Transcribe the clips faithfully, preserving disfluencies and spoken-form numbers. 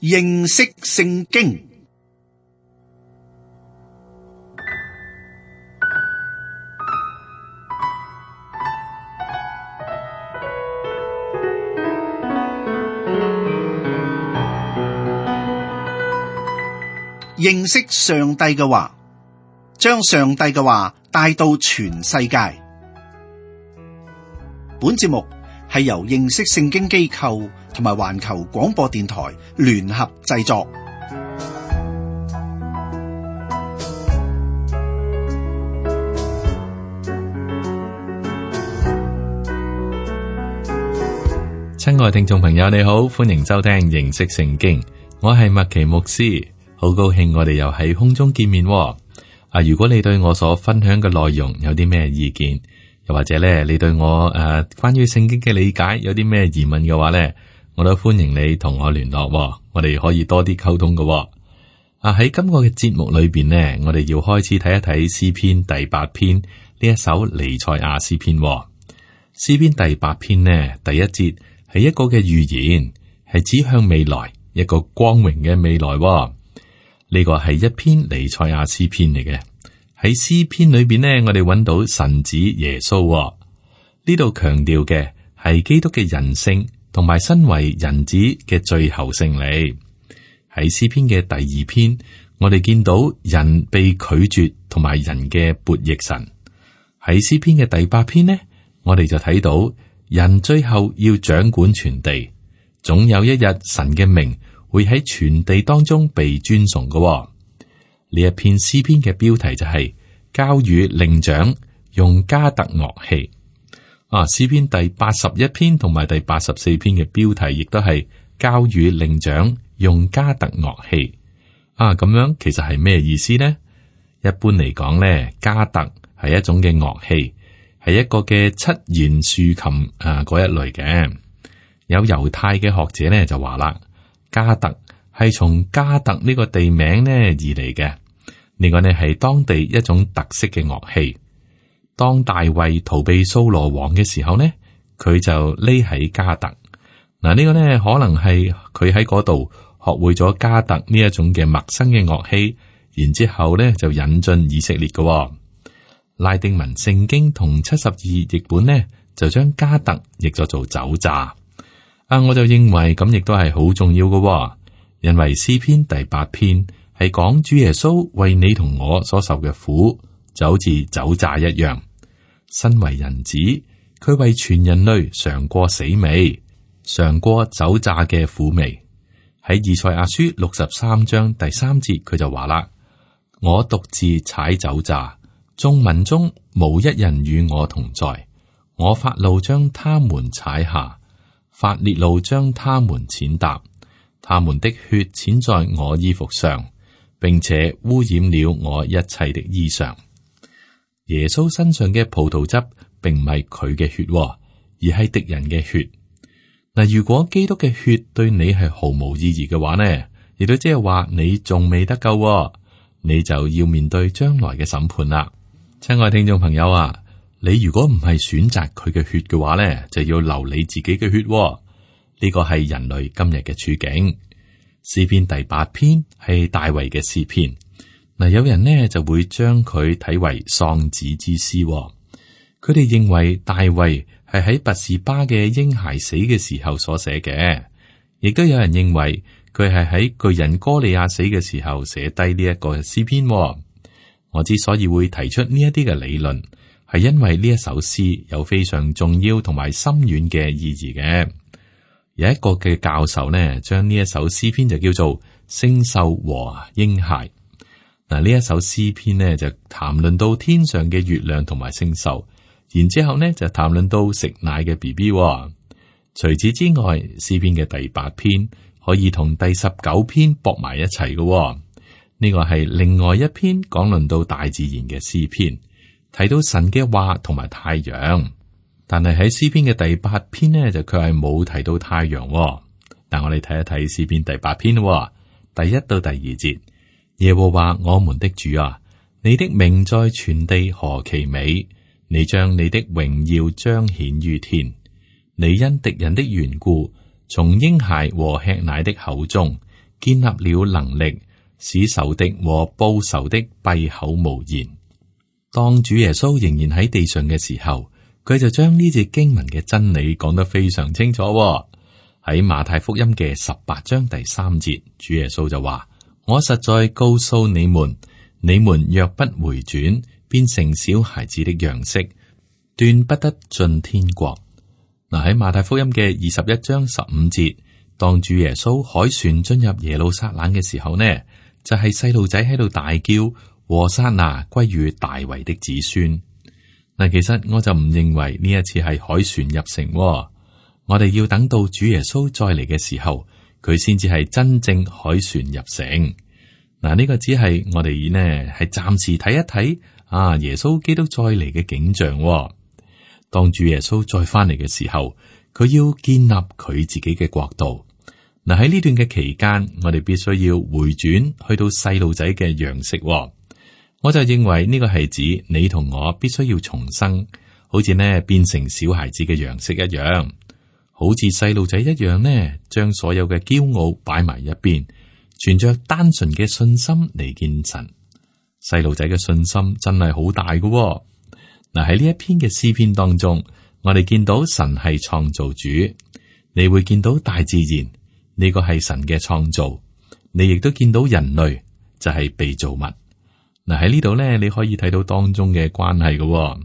認識聖經。認識上帝嘅話，將上帝嘅話帶到全世界。本節目係由認識聖經機構同埋環球廣播電台聯合製作。親愛聽眾朋友，你好，歡迎收聽認識聖經，我係麥奇牧師。好高興我哋又喺空中見面喎。啊，如果你對我所分享嘅內容有啲咩意見，又或者咧你對我誒、呃、關於聖經嘅理解有啲咩疑問嘅話咧，我都歡迎你同我聯絡喎。我哋可以多啲溝通嘅喎。啊，喺今個嘅節目裏邊呢，我哋要開始睇一睇詩篇第八篇呢一首彌賽亞詩篇喎。詩篇第八篇呢，第一節係一個嘅預言，係指向未來一個光榮嘅未來喎。呢個係一篇彌賽亞詩篇嚟嘅。喺詩篇裏邊呢，我哋揾到神子耶穌喎。呢度強調嘅係基督嘅人性同埋身為人子嘅最後勝利。喺詩篇嘅第二篇，我哋見到人被拒絕同埋人嘅悖逆神。喺詩篇嘅第八篇呢，我哋就睇到人最後要掌管全地，總有一日神嘅名會喺全地當中被尊崇嘅喎。呢一篇詩篇嘅標題就係交與伶長用迦特樂器。啊，詩篇第八十一篇同埋第八十四篇嘅標題亦都係交與伶長用迦特樂器。啊，咁樣其實係咩意思呢？一般嚟講咧，迦特係一種嘅樂器，係一個嘅七弦豎琴啊嗰一類嘅。有猶太嘅學者咧就話啦，迦特係從迦特呢個地名呢而嚟嘅，呢個呢係當地一種特色嘅樂器。當大衛逃避掃羅王嘅時候呢，佢就匿喺迦特。嗱，呢個呢可能係佢喺嗰度學會咗迦特呢一種嘅陌生嘅樂器，然之後呢就引進以色列嘅。拉丁文聖經同七十二譯本呢就將迦特譯咗做酒榨。啊，我就認為咁亦都係好重要嘅，哦，因為詩篇第八篇係講主耶穌為你同我所受嘅苦，就好似酒榨一樣。身為人子，佢為全人類嘗過死味，嘗過酒榨嘅苦味。喺以賽亞書六十三章第三節，佢就話啦：我獨自踩酒榨，眾民中無一人與我同在，我發怒將他們踩下。發烈怒將他們踐踏，他們的血濺在我衣服上，並且污染了我一切的衣裳。耶穌身上嘅葡萄汁並唔係佢嘅血，而係敵人嘅血。嗱，如果基督嘅血對你係毫無意義嘅話呢，亦都即係話你仲未得救，你就要面對將來嘅審判啦。親愛聽眾朋友啊，你如果唔係選擇佢嘅血嘅話咧，就要流你自己嘅血，哦。呢個係人類今日嘅處境。詩篇第八篇係大衛嘅詩篇。嗱，有人呢就會將佢睇為喪子之詩，哦。佢哋認為大衛係喺拔示巴嘅嬰孩死嘅時候所寫嘅，亦都有人認為佢係喺巨人哥利亞死嘅時候寫低呢一個詩篇，哦。我之所以會提出呢一啲嘅理論，係因為呢一首詩有非常重要同埋深遠嘅意義嘅。有一個嘅教授呢，將呢一首詩篇就叫做星宿和嬰孩。嗱，呢一首詩篇呢就談論到天上嘅月亮同埋星宿，然之後呢就談論到食奶嘅 B B。除此之外，詩篇嘅第八篇可以同第十九篇駁埋一齊嘅。呢個係另外一篇講論到大自然嘅詩篇。提到神嘅話同埋太陽，但係喺詩篇嘅第八篇呢，就佢係冇提到太陽，哦。但我哋睇一睇詩篇第八篇，哦，第一到第二節。耶和華我們的主啊，你的名在全地何其美！你將你的榮耀彰顯於天。你因敵人的緣故，從嬰孩和吃奶的口中，建立了能力，使仇敵和報仇的閉口無言。當主耶穌仍然喺地上嘅時候，佢就將呢節經文嘅真理講得非常清楚喎。喺馬太福音嘅十八章第三節，主耶穌就話：我實在告訴你們，你們若不回轉，變成小孩子的樣式，斷不得進天國。嗱，喺馬太福音嘅二十一章十五節，當主耶穌凱旋進入耶路撒冷嘅時候呢，就係細路仔喺度大叫：和散那歸於大衛的子孫。嗱，其實我就唔認為呢一次係凱旋入城喎。我哋要等到主耶穌再嚟嘅時候，佢先至係真正凱旋入城。嗱，呢個只係我哋呢係暫時睇一睇啊，耶穌基督再嚟嘅景象喎。當主耶穌再翻嚟嘅時候，佢要建立佢自己嘅國度。嗱，喺呢段嘅期間，我哋必須要回轉去到細路仔嘅樣式喎。我就認為呢個係指你同我必須要重生，好似呢變成小孩子嘅樣式一樣。好似細路仔一樣呢，將所有嘅驕傲擺埋一邊，存着單純嘅信心嚟見神。細路仔嘅信心真係好大㗎喎。嗱，喺呢一篇嘅詩篇當中，我哋見到神係創造主，你會見到大自然，呢個係神嘅創造，你亦都見到人類就係被造物。嗱，喺呢度咧，你可以睇到當中嘅關係㗎喎。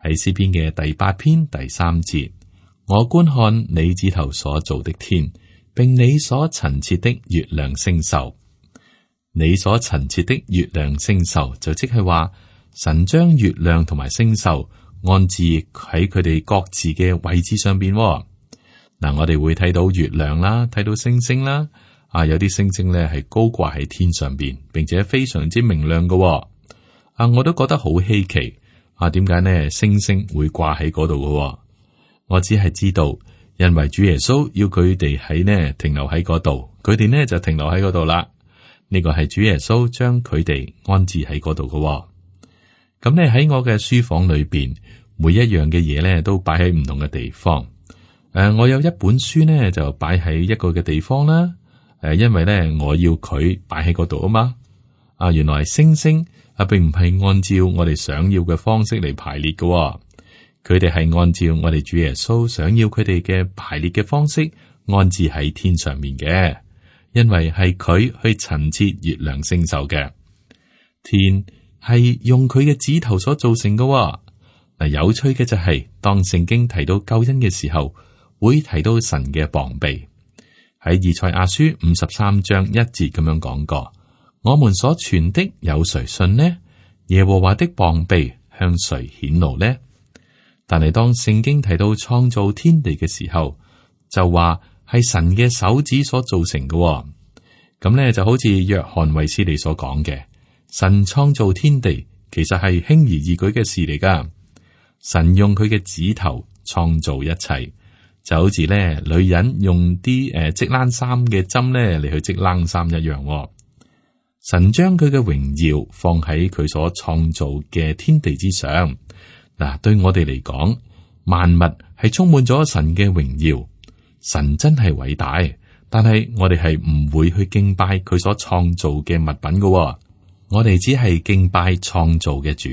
喺詩篇嘅第八篇第三節。我觀看你指頭所造的天，並你所陳設的月亮星宿。你所陳設的月亮星宿，就即係話神將月亮同埋星宿安置喺佢哋各自嘅位置上邊。嗱，我哋會睇到月亮啦，睇到星星啦。啊，有啲星星咧係高掛喺天上邊，並且非常之明亮嘅。啊，我都覺得好稀奇。啊，點解呢？星星會掛喺嗰度嘅？我只係知道，因為主耶穌要佢哋喺呢停留喺嗰度，佢哋呢就停留喺嗰度啦。呢個係主耶穌將佢哋安置喺嗰度嘅。咁咧喺我嘅書房裏邊，每一樣嘅嘢咧都擺喺唔同嘅地方。誒、呃，我有一本書呢就擺喺一個嘅地方啦。誒、呃，因為咧我要佢擺喺嗰度啊嘛。啊，原來星星啊，並唔係按照我哋想要嘅方式嚟排列嘅。佢哋係按照我哋主耶穌想要佢哋嘅排列嘅方式安置喺天上面嘅，因為係佢去陳設月亮星宿嘅。天係用佢嘅指頭所造成嘅。嗱，有趣嘅就係、是、當聖經提到救恩嘅時候，會提到神嘅膀臂。喺以賽亞書五十三章一節咁樣講過：我們所傳的有誰信呢？耶和華的膀臂向誰顯露呢？但係當聖經提到創造天地嘅時候，就話係神嘅手指所造成嘅、哦。咁咧就好似約翰衛斯理所講嘅，神創造天地其實係輕而易舉嘅事嚟噶。神用佢嘅指頭創造一切，就好似咧女人用啲誒織冷衫嘅針咧嚟去織冷衫一樣、哦。神將佢嘅榮耀放喺佢所創造嘅天地之上。嗱，對我哋嚟講，萬物係充滿咗神嘅榮耀。神真係偉大，但係我哋係唔會去敬拜佢所創造嘅物品噶、哦。我哋只係敬拜創造嘅主。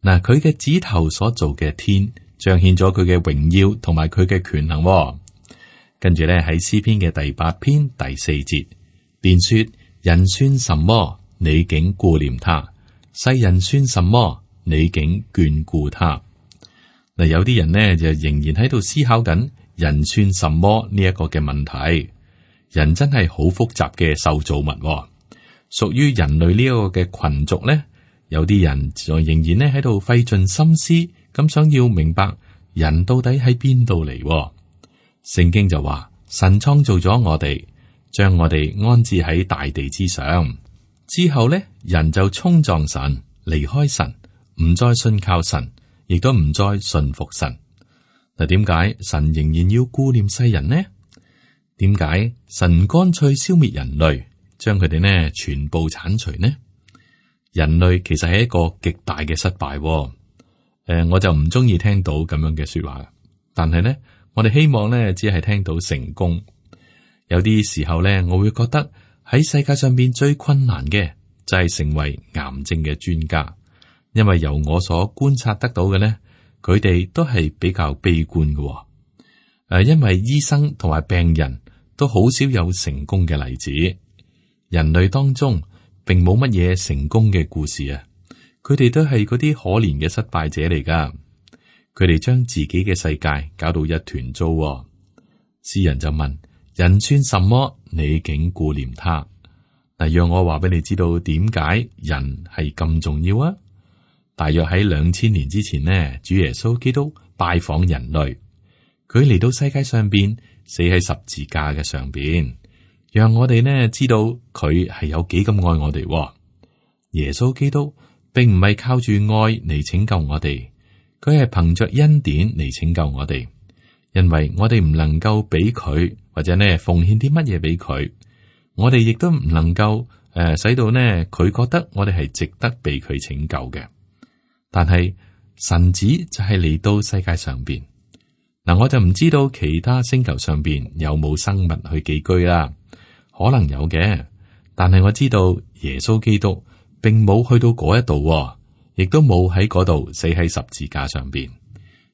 嗱，佢嘅指頭所做嘅天，彰顯咗佢嘅榮耀同埋佢嘅權能、哦。跟住咧喺詩篇嘅第八篇第四節，便說：人算什麼，你竟顧念他；世人算什麼，你竟眷顧他。嗱，有啲人呢，就仍然喺度思考緊人算什麼呢一個嘅問題。人真係好複雜嘅受造物、哦，屬於人類呢一個嘅群族呢，有啲人就仍然呢喺度費盡心思咁想要明白人到底喺邊度嚟。聖經就話神創造咗我哋，將我哋安置喺大地之上，之後呢，人就衝撞神，離開神。唔再信靠神，亦都唔再信服神。嗱，點解神仍然要顧念世人呢？點解神乾脆消滅人類，將佢哋呢全部鏟除呢？人類其實係一個極大嘅失敗。誒、呃，我就唔中意聽到咁樣嘅說話，但係呢，我哋希望呢只係聽到成功，有啲時候咧，我會覺得喺世界上邊最困難嘅就係成為癌症嘅專家，因為由我所觀察得到嘅呢，佢哋都係比較悲觀嘅。誒、呃，因為醫生同埋病人都好少有成功嘅例子，人類當中並冇乜嘢成功嘅故事啊，佢哋都係嗰啲可憐嘅失敗者嚟噶，佢哋將自己嘅世界搞到一團糟。詩人就問：人算什麼？你竟顧念他？嗱，讓我話俾你知道點解人係咁重要啊！大約喺兩千年之前呢，主耶穌基督拜訪人類，佢嚟到世界上邊，死喺十字架嘅上邊，讓我哋呢知道佢係有幾咁愛我哋。耶穌基督並唔係靠住愛嚟拯救我哋，佢係憑着恩典嚟拯救我哋，因為我哋唔能夠俾佢或者呢奉獻啲乜嘢俾佢，我哋亦都唔能夠誒、呃、使到呢佢覺得我哋係值得被佢拯救嘅。但係神子就係嚟到世界上邊，嗱，我就唔知道其他星球上邊有冇生物去寄居啦，可能有嘅，但係我知道耶穌基督並冇去到嗰一度，亦都冇喺嗰度死喺十字架上邊。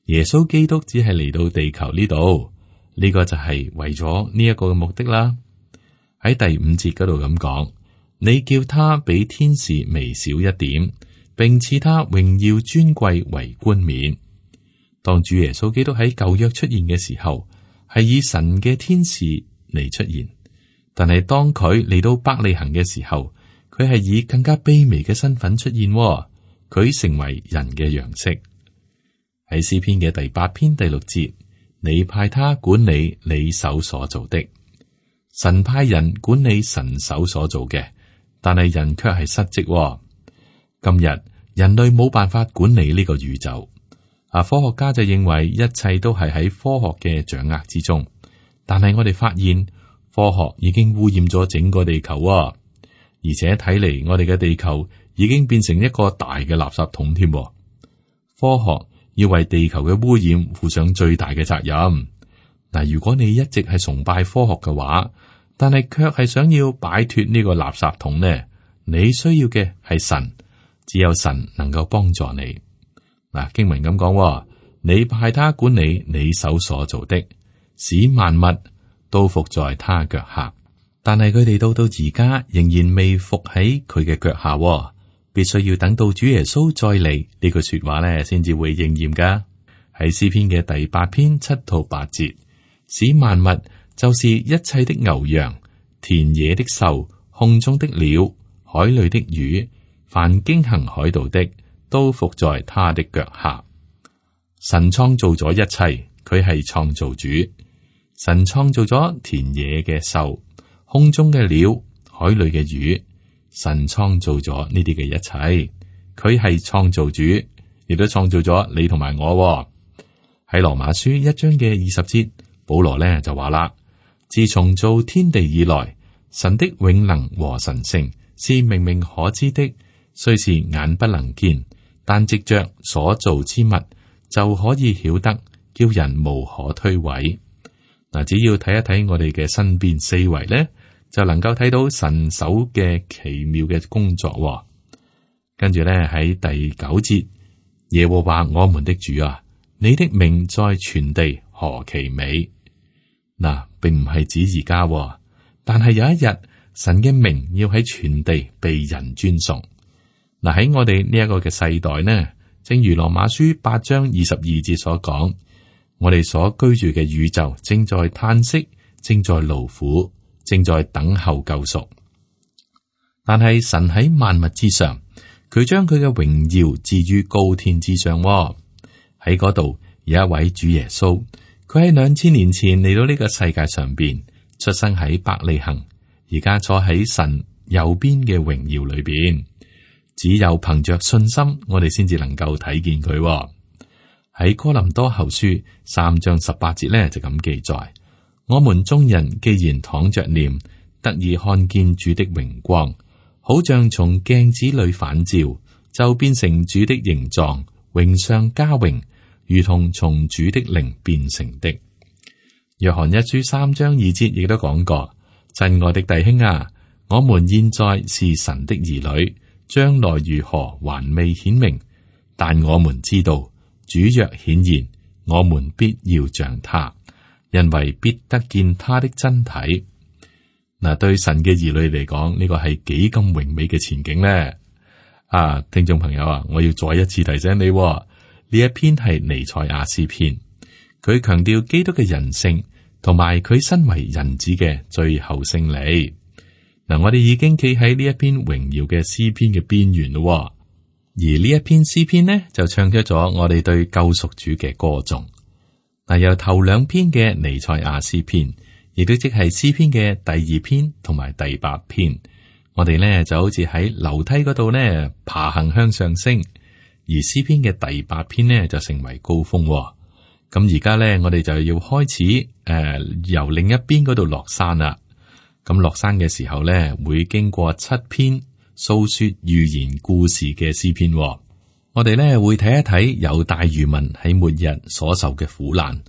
耶穌基督只係嚟到地球呢度，呢個就係為咗呢一個嘅目的啦。喺第五節嗰度咁講，你叫他比天使微小一點，並賜他榮耀尊貴為冠冕。當主耶穌基督喺舊約出現嘅時候，係以神嘅天使嚟出現，但係當佢嚟到伯利恆嘅時候，佢係以更加卑微嘅身份出現，佢成為人嘅樣式。喺詩篇嘅第八篇第六節，你派他管理你手所做的。神派人管理神手所做嘅，但係人卻係失職。今日人類冇辦法管理呢個宇宙，啊，科學家就認為一切都係喺科學嘅掌握之中，但係我哋發現科學已經污染咗整個地球啊，而且睇嚟我哋嘅地球已經變成一個大嘅垃圾桶添。科學要為地球嘅污染負上最大嘅責任。嗱，如果你一直係崇拜科學嘅話，但係卻係想要擺脫呢個垃圾桶呢，你需要嘅係神。只有神能夠幫助你。嗱，經文咁講，你派他管理你手所做的，使萬物都服在他腳下。但係佢哋到到而家仍然未服喺佢嘅腳下，必須要等到主耶穌再嚟，呢句說話咧，先至會應驗噶。喺詩篇嘅第八篇七到八節，使萬物就是一切的牛羊、田野的獸、空中的鳥、海裏的魚。凡經行海道的，都服在他的腳下。神創造咗一切，佢係創造主。神創造咗田野嘅獸、空中嘅鳥、海裏嘅魚。神創造咗呢啲嘅一切，佢係創造主，亦都創造咗你同埋我。喺羅馬書一章嘅二十節，保羅呢就話啦：自從造天地以來，神的永能和神性是明明可知的。雖是眼不能見，但藉着所造之物就可以曉得，叫人無可推諉。嗱，只要睇一睇我哋嘅身邊四圍咧，就能夠睇到神手嘅奇妙嘅工作。跟住咧喺第九節，耶和華我們的主啊，你的名在全地何其美！嗱，並唔係指而家，但係有一日神嘅名要喺全地被人尊崇。嗱，喺我哋呢一個嘅世代呢，正如羅馬書八章二十二節所講，我哋所居住嘅宇宙正在嘆息，正在勞苦，正在等候救贖。但係神喺萬物之上，佢將佢嘅榮耀置於高天之上。喺嗰度有一位主耶穌，佢喺兩千年前嚟到呢個世界上邊，出生喺伯利恆，而家坐喺神右邊嘅榮耀裏邊。只有憑着信心，我哋先至能夠睇見佢。喺哥林多後書三章十八節呢，就咁記載：我們眾人既然躺着念，得以看見主的榮光，好像從鏡子裏反照，就變成主的形狀，榮上加榮，如同從主的靈變成的。約翰一書三章二節亦都講過：親愛的弟兄啊，我們現在是神的兒女，將來如何還未顯明，但我們知道主若顯現，我們必要像他，因為必得見他的真體。嗱，對神嘅兒女嚟講，呢個係幾咁榮美嘅前景呢？啊，聽眾朋友啊，我要再一次提醒你，呢一篇係彌賽亞詩篇，佢強調基督嘅人性，同埋佢身為人子嘅最後勝利。嗱，我哋已經企喺呢一篇榮耀嘅詩篇嘅邊緣咯，而呢一篇詩篇呢，就唱出咗我哋對救贖主嘅歌頌。嗱，由頭兩篇嘅彌賽亞詩篇，亦都即係詩篇嘅第二篇同埋第八篇，我哋呢就好似喺樓梯嗰度呢爬行向上升，而詩篇嘅第八篇呢就成為高峰。咁而家呢，我哋就要開始誒、呃、由另一邊嗰度落山啦。咁落山嘅時候呢，會經過七篇訴說預言故事嘅詩篇。我哋呢會睇一睇猶大餘民喺末日所受嘅苦難，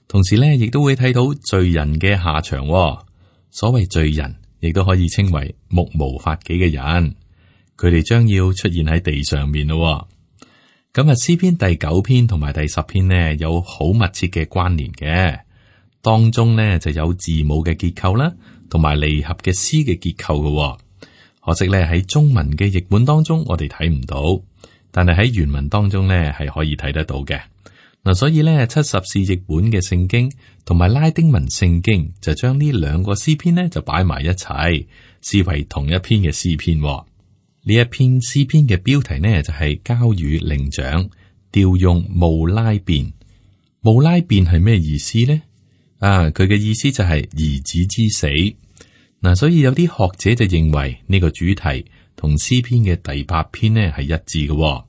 同時呢亦都會睇到罪人嘅下場。所謂罪人，亦都可以稱為目無法紀嘅人，佢哋將要出現喺地上面咯。咁啊，詩篇第九篇同埋第十篇呢，有好密切嘅關聯嘅，當中呢就有字母嘅結構啦，同埋離合嘅詩嘅結構嘅。可惜呢喺中文嘅譯本當中，我哋睇唔到，但係喺原文當中呢係可以睇得到嘅。嗱，所以呢七十士譯本嘅聖經同埋拉丁文聖經就將呢兩個詩篇呢就擺埋一齊，視為同一篇嘅詩篇。呢一篇詩篇嘅標題呢就係、是、交與伶長，調用慕拉辯。慕拉辯係咩意思呢？啊，佢嘅意思就係兒子之死。嗱、啊，所以有啲學者就認為呢個主題同詩篇嘅第八篇呢係一致嘅。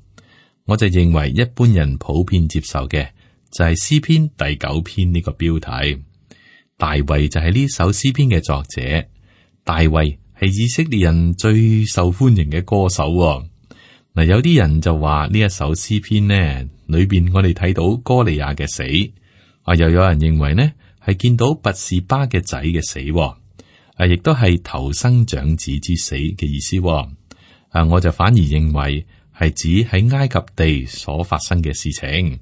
我就認為一般人普遍接受嘅就係詩篇第九篇呢個標題。大衛就係呢首詩篇嘅作者，大衛係以色列人最受歡迎嘅歌手。嗱，有啲人就話呢一首詩篇呢裏邊我哋睇到歌利亞嘅死，啊，又有人認為呢係見到拔示巴嘅仔嘅死，啊，亦都係頭生長子之死嘅意思。啊，我就反而認為係指喺埃及地所發生嘅事情。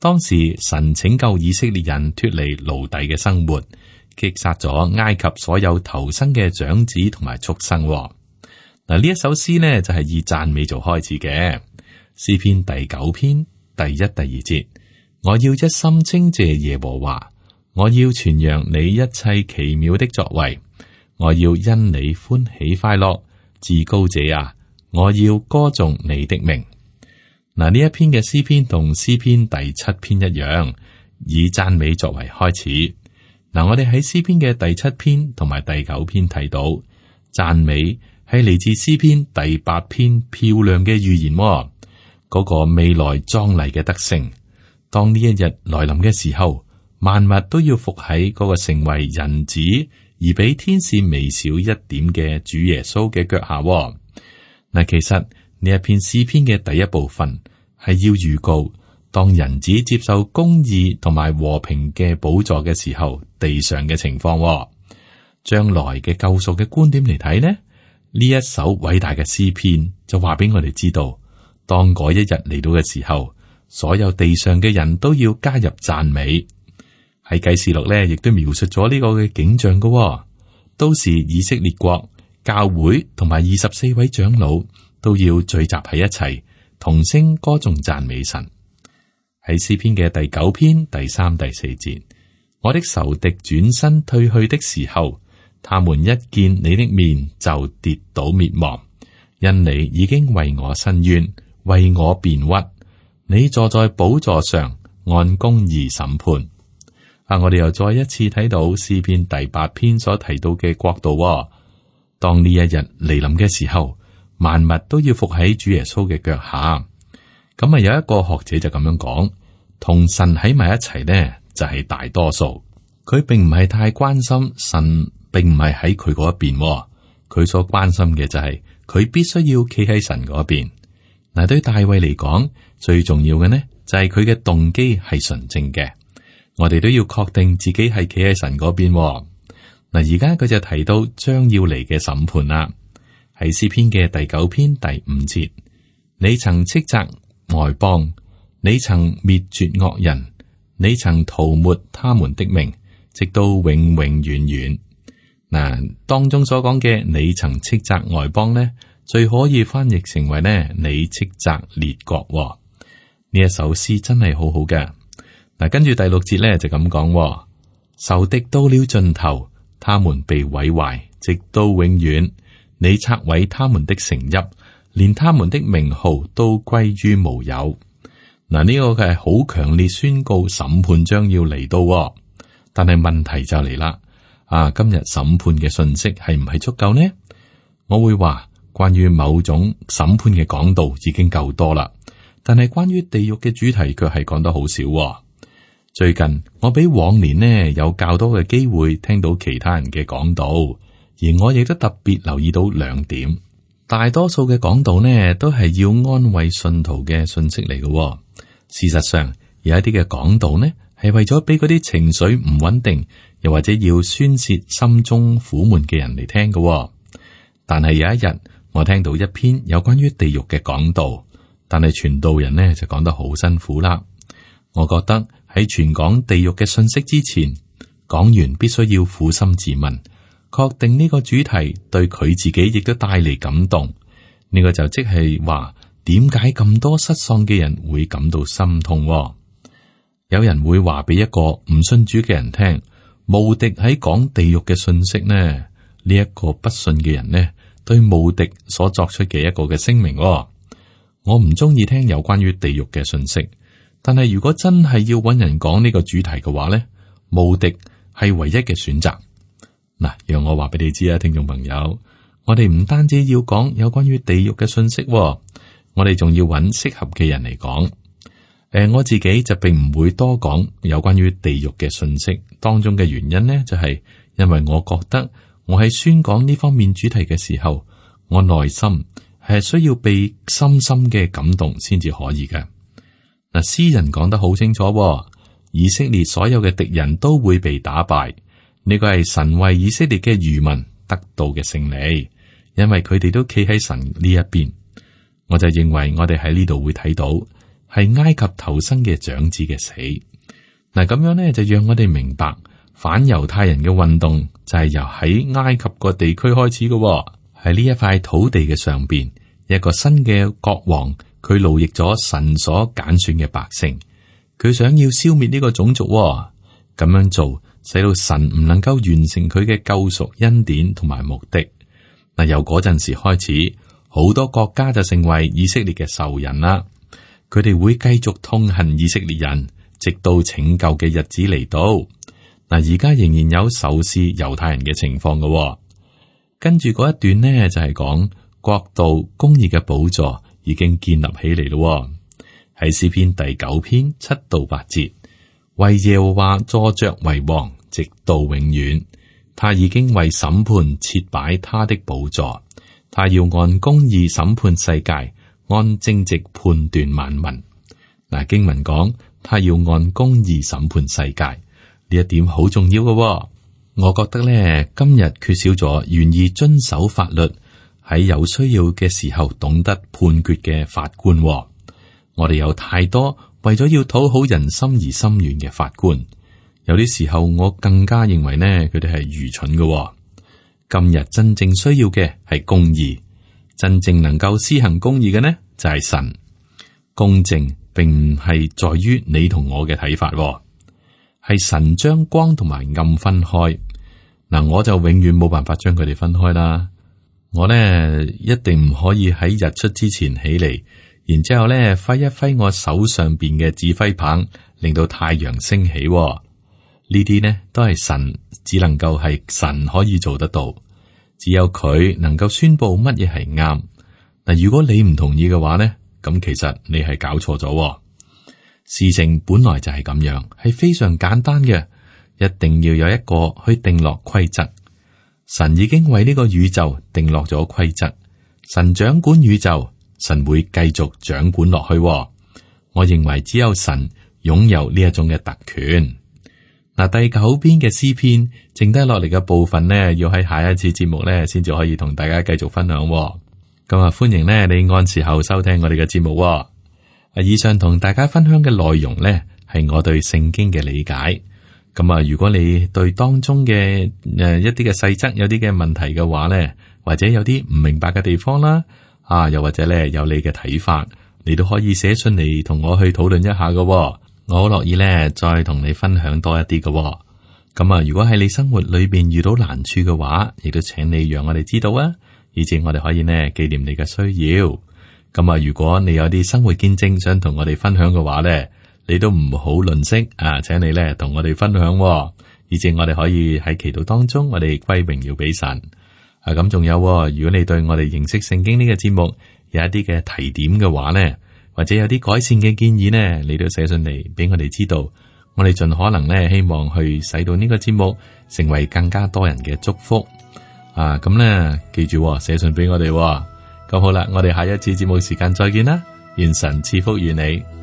當時神拯救以色列人脫離奴隸嘅生活，擊殺咗埃及所有頭生嘅長子同埋畜生。嗱，呢一首詩呢就係以讚美做開始嘅。詩篇第九篇第一、第二節，我要一心稱謝耶和華，我要傳揚你一切奇妙的作為，我要因你歡喜快樂，至高者啊，我要歌頌你的名。嗱，呢一篇嘅詩篇同詩篇第七篇一樣，以讚美作為開始。嗱，我哋喺詩篇嘅第七篇同埋第九篇睇到讚美係嚟自詩篇第八篇漂亮嘅預言，嗰、那個未來壯麗嘅得勝。當呢一日來臨嘅時候，萬物都要伏喺嗰個成為人子而比天使微小一點嘅主耶穌嘅腳下。嗱，其實呢一篇詩篇嘅第一部分係要預告，當人子接受公義同埋和平嘅寶座嘅時候，地上嘅情況。將來嘅救贖嘅觀點嚟睇呢，呢一首偉大嘅詩篇就話俾我哋知道，當嗰一日嚟到嘅時候，所有地上嘅人都要加入讚美。喺啟示錄呢，亦都描述咗呢個嘅景象嘅，都是以色列國教會同埋二十四位長老都要聚集喺一齊，同聲歌頌讚美神。喺詩篇嘅第九篇第三、第四節，我的仇敵轉身退去的時候，他們一見你的面就跌倒滅亡，因你已經為我伸冤，為我辯屈。你坐在寶座上，按公義審判。啊！我哋又再一次睇到詩篇第八篇所提到嘅國度，哦。當呢一日嚟臨嘅時候，萬物都要伏喺主耶穌嘅腳下。咁啊，有一個學者就咁樣講，同神喺埋一齊呢，就係、是、大多數。佢並唔係太關心神，並唔係喺佢嗰一邊，哦。佢所關心嘅就係、是、佢必須要企喺神嗰邊。嗱，對大衛嚟講，最重要嘅呢，就係佢嘅動機係純正嘅。我哋都要確定自己係企喺神嗰邊。嗱，而家佢就提到將要嚟嘅審判啦，喺詩篇嘅第九篇第五節，你曾斥責外邦，你曾滅絕惡人，你曾塗抹他們的名，直到永永遠遠。嗱，當中所講嘅你曾斥責外邦呢，最可以翻譯成為呢，你斥責列國。呢一首詩真係好好嘅。嗱，跟住第六節咧就咁講，仇敵到了盡頭，他們被毀壞，直到永遠。你拆毀他們的城邑，連他們的名號都歸於無有。嗱，呢個係好強烈宣告審判將要嚟到，但係問題就嚟啦。啊，今日審判嘅信息係唔係足夠呢？我會話關於某種審判嘅講道已經夠多啦，但係關於地獄嘅主題卻係講得好少。最近我比往年呢有較多嘅機會聽到其他人嘅講道，而我亦都特別留意到兩點。大多數嘅講道呢都係要安慰信徒嘅信息嚟嘅。事實上，有一啲嘅講道呢係為咗俾嗰啲情緒唔穩定，又或者要宣洩心中苦悶嘅人嚟聽嘅。但係有一日，我聽到一篇有關於地獄嘅講道，但係傳道人呢就講得好辛苦啦。我覺得喺傳講地獄嘅信息之前，講員必須要苦心自問，確定呢個主題對佢自己亦都帶嚟感動。呢個就即係話，點解咁多失喪嘅人會感到心痛？有人會話俾一個唔信主嘅人聽，無敵喺講地獄嘅信息呢？呢一個不信嘅人呢，對無敵所作出嘅一個嘅聲明。我唔中意聽有關於地獄嘅信息。但係如果真係要揾人講呢個主題嘅話呢，無敵係唯一嘅選擇。嗱，讓我話俾你知啊，聽眾朋友，我哋唔單止要講有關於地獄嘅信息，我哋仲要揾適合嘅人嚟講。誒、呃，我自己就並唔會多講有關於地獄嘅信息，當中嘅原因呢，就係、是、因為我覺得我喺宣講呢方面主題嘅時候，我內心係需要被深深嘅感動先至可以嘅。嗱，詩人講得好清楚，以色列所有嘅敵人都會被打敗。呢個係神為以色列嘅餘民得到嘅勝利，因為佢哋都企喺神呢一邊。我就認為我哋喺呢度會睇到係埃及頭生嘅長子嘅死。嗱，咁樣呢，就讓我哋明白反猶太人嘅運動就係由喺埃及個地區開始嘅，喺呢一塊土地嘅上邊，一個新嘅國王。佢奴役咗神所揀選嘅百姓，佢想要消滅呢個種族，咁樣做使到神唔能夠完成佢嘅救贖恩典同埋目的。嗱，由嗰陣時開始，好多國家就成為以色列嘅仇人啦。佢哋會繼續痛恨以色列人，直到拯救嘅日子嚟到。嗱，而家仍然有仇視猶太人嘅情況嘅。跟住嗰一段呢，就係講國度公義嘅寶座已經建立起嚟咯，喺詩篇第九篇七到八節，為耶和華坐着為王，直到永遠。他已經為審判設擺他的寶座，他要按公義審判世界，按正直判斷萬民。嗱，經文講，他要按公義審判世界，呢一點好重要嘅。我覺得咧，今日缺少咗願意遵守法律，喺有需要嘅時候懂得判決嘅法官。我哋有太多為咗要討好人心而心軟嘅法官，有啲時候我更加認為呢，佢哋係愚蠢嘅。今日真正需要嘅係公義，真正能夠施行公義嘅呢就係神。公正並唔係在於你同我嘅睇法，係神將光同埋暗分開。嗱，我就永遠冇辦法將佢哋分開啦。我呢一定唔可以喺日出之前起嚟，然之後呢揮一揮我手上邊嘅指揮棒，令到太陽升起。呢啲呢都係神，只能夠係神可以做得到，只有佢能夠宣布乜嘢係啱。嗱，如果你唔同意嘅話呢，咁其實你係搞錯咗。事情本來就係咁樣，係非常簡單嘅，一定要有一個去定落規則。神已經為呢個宇宙定落咗規則，神掌管宇宙，神會繼續掌管落去。我認為只有神擁有呢一種嘅特權。嗱，第九篇嘅詩篇，剩低落嚟嘅部分呢，要喺下一次節目呢先至可以同大家繼續分享。咁啊，歡迎呢你按時候收聽我哋嘅節目。啊，以上同大家分享嘅內容呢，係我對聖經嘅理解。咁啊，如果你對當中嘅誒一啲嘅細則有啲嘅問題嘅話呢，或者有啲唔明白嘅地方啦，啊，又或者呢有你嘅睇法，你都可以寫信嚟同我去討論一下嘅。我好樂意咧，再同你分享多一啲嘅、哦。咁啊，如果喺你生活裏邊遇到難處嘅話，亦都請你讓我哋知道啊，以至我哋可以呢紀念你嘅需要。咁啊，如果你有啲生活見證想同我哋分享嘅話咧，你都唔好吝嗇啊，請你咧同我哋分享、哦，以至我哋可以喺祈禱當中，我哋歸榮耀俾神。啊，咁仲有、哦，如果你對我哋認識聖經呢個節目有一啲嘅提點嘅話咧，或者有啲改善嘅建議呢，你都寫信嚟俾我哋知道，我哋盡可能呢希望去使到呢個節目成為更加多人嘅祝福啊！咁呢，記住寫信俾我哋。咁好啦，我哋下一次節目時間再見啦，願神賜福於你。